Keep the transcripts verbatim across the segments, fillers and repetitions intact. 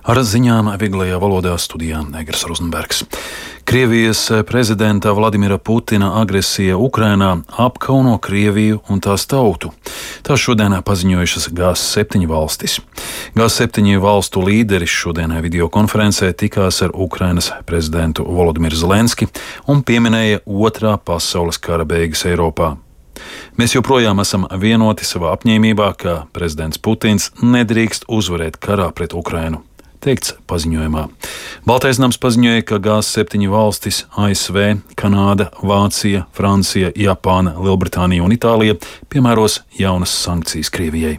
Ar ziņām vieglajā valodā studijā Negras Rozenbergs. Krievijas prezidenta Vladimira Putina agresija Ukrainā apkauno Krieviju un tās tautu. Tā šodien paziņojušas G septiņi valstis. G septiņi valstu līderis šodien videokonferencē tikās ar Ukrainas prezidentu Volodimiru Zelenski un pieminēja otrā pasaules kara beigas Eiropā. Mēs joprojām esam vienoti savā apņēmībā, ka prezidents Putins nedrīkst uzvarēt karā pret Ukrainu, teikts paziņojumā. Baltais nams paziņoja, ka G septiņi valstis - A S V, Kanāda, Vācija, Francija, Japāna, Lielbritānija un Itālija - piemēros jaunas sankcijas Krievijai.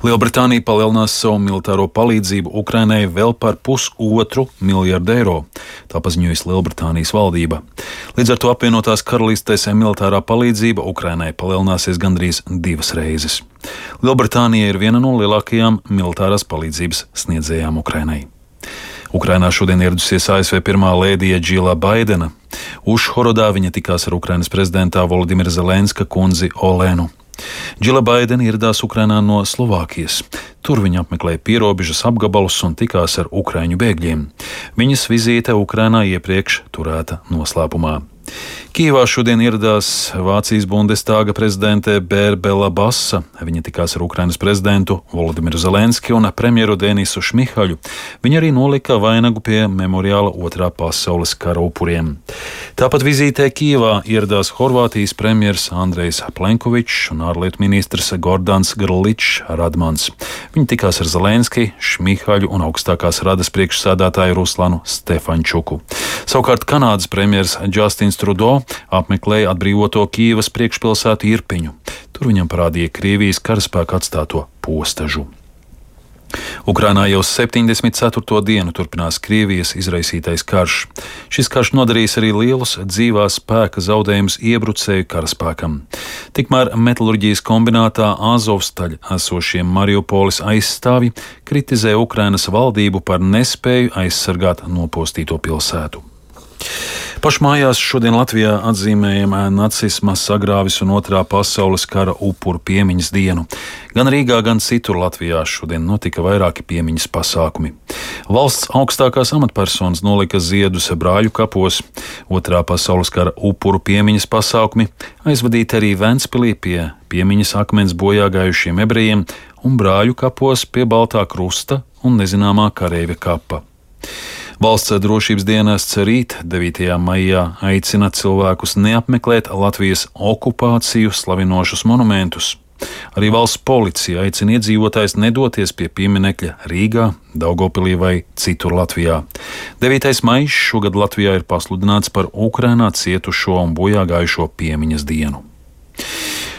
Lielbritānija palielinās savu militāro palīdzību Ukrainai vēl par pusotru miljardu eiro. Tā paziņojas Lielbritānijas valdība. Līdz ar to apvienotās karalistes militārā palīdzība Ukrainai palielināsies gandrīz divas reizes. Lielbritānija ir viena no lielākajām militārās palīdzības sniedzējām Ukrainai. Ukrainā šodien ieradusies A S V pirmā lēdija Džila Baidena. Užhorodā viņa tikās ar Ukrainas prezidentā Volodimira Zelenska kundzi Olenu. Džila Baidena ieradās Ukrainā no Slovākijas. Tur viņa apmeklēja pierobežas apgabalus un tikās ar ukraiņu bēgļiem. Viņas vizīte Ukrainā iepriekš turēta noslēpumā. Kijevā šodien ieradās Vācijas Bundestāga prezidente Bērbela Basa. Viņa tikās ar Ukrainas prezidentu Volodimiru Zelenski un premjeru Denisu Šmihaļu. Viņa arī nolika vainagu pie memoriāla otrā pasaules kara upuriem. Tāpat vizītē Kijevā ieradās Horvātijas premjers Andrejs Plenkovičs un ārlietu ministrs Gordans Grličs Radmans. Viņi tikās ar Zelenski, Šmihaļu un augstākās radas priekšsēdētāju Ruslanu Stefančuku. Savukārt Kanādas premjers Justins Trudeau apmeklēja atbrīvoto Kijevas priekšpilsētu Irpiņu. Tur viņam parādīja Krievijas karaspēka atstāto postažu. Ukrainā jau septiņdesmit ceturto dienu turpinās Krievijas izraisītais karš. Šis karš nodarīs arī lielus dzīvā spēka zaudējumus iebrucēju karaspēkam. Tikmēr metalurģijas kombinātā Azovstaļ esošie Mariupolis aizstāvji kritizē Ukrainas valdību par nespēju aizsargāt nopostīto pilsētu. Pašmājās šodien Latvijā atzīmējam nacisma sagrāvis un otrā pasaules kara upuru piemiņas dienu. Gan Rīgā, gan citur Latvijā šodien notika vairāki piemiņas pasākumi. Valsts augstākās amatpersonas nolika ziedus Brāļu kapos, otrā pasaules kara upuru piemiņas pasākumi aizvadīti arī Ventspilī pie piemiņas akmens bojā gājušiem ebrejiem un Brāļu kapos pie Baltā krusta un nezināmā kareivja kapa. Valsts drošības dienests rīt, devītajā maijā, aicina cilvēkus neapmeklēt Latvijas okupāciju slavinošus monumentus. Arī valsts policija aicina iedzīvotājus nedoties pie pieminekļa Rīgā, Daugavpilī vai citur Latvijā. devītais maijs šogad Latvijā ir pasludināts par Ukrainā cietušo un bojāgājušo piemiņas dienu.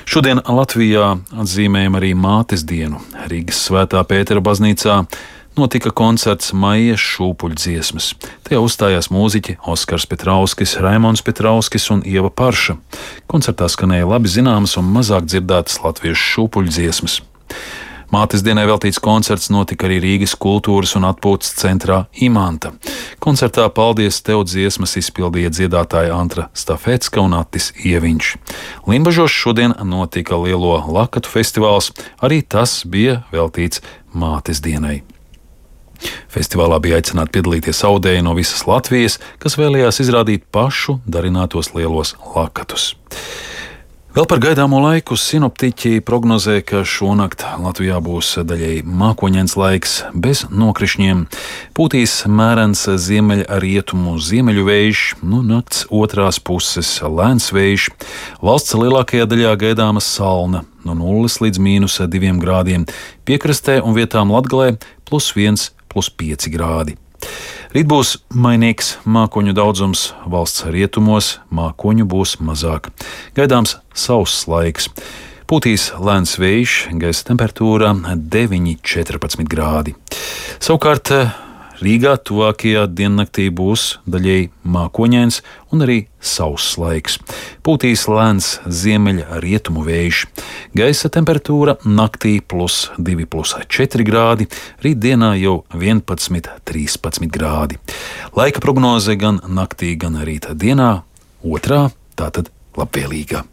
Šodien Latvijā atzīmējam arī Mātes dienu. Rīgas Svētā Pētera baznīcā notika koncerts Maijas šūpuļu dziesmas. Tajā uzstājās mūziķi Oskars Petrauskis, Raimons Petrauskis un Ieva Parša. Koncertā skanēja labi zināmas un mazāk dzirdētas latviešu šūpuļu dziesmas. Mātes dienai veltīts koncerts notika arī Rīgas kultūras un atpūtas centrā Imanta. Koncertā Paldies tev dziesmas izpildīja dziedātāja Antra Stafecka un Attis Ieviņš. Limbažos šodien notika Lielo lakatu festivāls, arī tas bija veltīts Mātes dienai. Festivālā bija aicināti piedalīties audēji no visas Latvijas, kas vēlējās izrādīt pašu darinātos lielos lakatus. Vēl par gaidāmo laiku sinoptiķi prognozē, ka šonakt Latvijā būs daļēji mākoņains laiks, bez nokrišņiem. Pūtīs mērens ziemeļrietumu ziemeļu vējš, no nakts otrās puses lēns vējš. Valsts lielākajā daļā gaidāma salna, no nulles līdz mīnus diviem grādiem. Piekrastē un vietām Latgalē plus viens, plus pieci grādi. Rīt būs mainīgs mākoņu daudzums, valsts rietumos mākoņu būs mazāk. Gaidāms sauss laiks. Pūtīs lēns vējš, gaisa temperatūra deviņi četrpadsmit grādi. Savukārt Rīgā tuvākajā diennaktī būs daļēji mākoņains un arī sauss laiks. Pūtīs lēns ziemeļa rietumu vējš. Gaisa temperatūra naktī plus divi, plus četri grādi, rītdienā jau vienpadsmit, trīspadsmit grādi. Laika prognoze gan naktī, gan rīta dienā otrā, tātad labvēlīga.